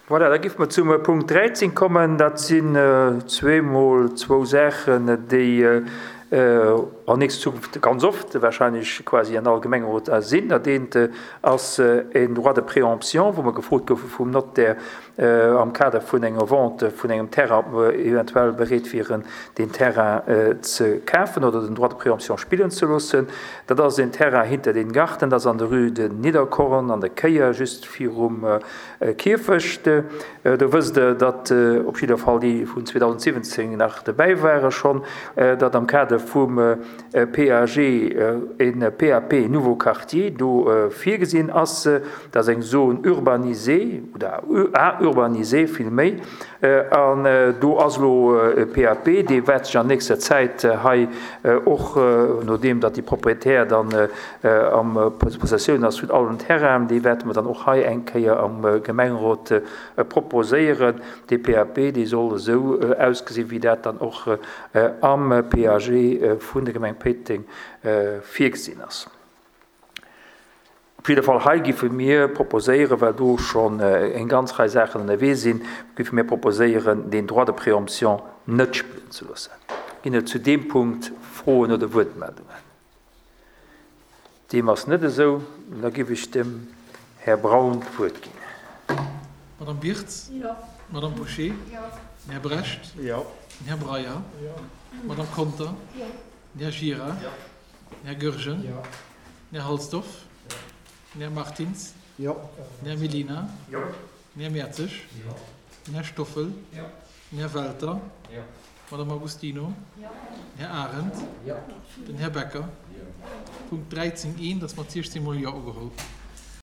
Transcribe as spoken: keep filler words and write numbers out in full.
Voilà, da géife mer zum Punkt dräizéng kommen. Dat sinn zweemol zwou Saachen, déi an nächster Zukunft ganz oft wahrscheinlech quasi an all Gemengerot sinn. Dat eent ass en Droit de préemption, wou mer gefrot goufe vum Notaire am Kader vun enger Vente vun engem Terrain, ob mer eventuell bereet wieren, deen Terrain ze kafen oder den Droit de préemption spillen ze loossen. Dat ass en Terrain hinter den Garten, dat ass an der Rue de Nidderkorn an der Kéier, just virum Kierfecht. Do wësst Der, datt op jidder Fall déi vun zweedausendsiwwenzéng nach dobäi ware schonn, datt am Kader vum P A G e P A P Nouveau Quartier do virgesinn ass. Dat ass eng Zone urbanisée oder à urbaniser villméi. An do ass elo e P A P, dee wäert sech an nächster Zäit hei och, nodeem datt déi Propriétaire dann am Possessioun ass vun allen Terrainen, dee wäerte mer dann och hei eng Kéier am Gemengerot proposéieren. Dee P A P, dee soll esou ausgesinn, wéi dat dann och am P A G vun der Gemeng Péiteng virgesinn ass. Op jidde Fall hei giffe mir proposéieren, well do schonn eng ganz Rei Saachen ënnerwee sinn, giffe mir proposéieren, deen Droit de préemption net spillen ze loossen. Ginn et zu deem Punkt Froen oder Wuertmeldungen? Deem ass net esou. Da giff ech dem Här Braun d'Wuert ginn. Madame Birtz? Jo. Madame Bouché? Jo. Den Här Brecht? Jo. Den Här Breyer? Jo. D'Madame Conter? Jo. Den Här Gira? Jo. Den Här Goergen? Jo. Den Här Halsdorf? Jo. Den Här Martins? Jo. Den Här Mellina? Jo. Den Här Mertzig? Jo. Den Här Stoffel? Jo. Den Här Welter? Jo. D'Madame Agostino? Jo. Den Här Arendt? Jo. Den Här Becker? Jo. Punkt dräizéng eent ass mat siechzéng mol Jo ugeholl.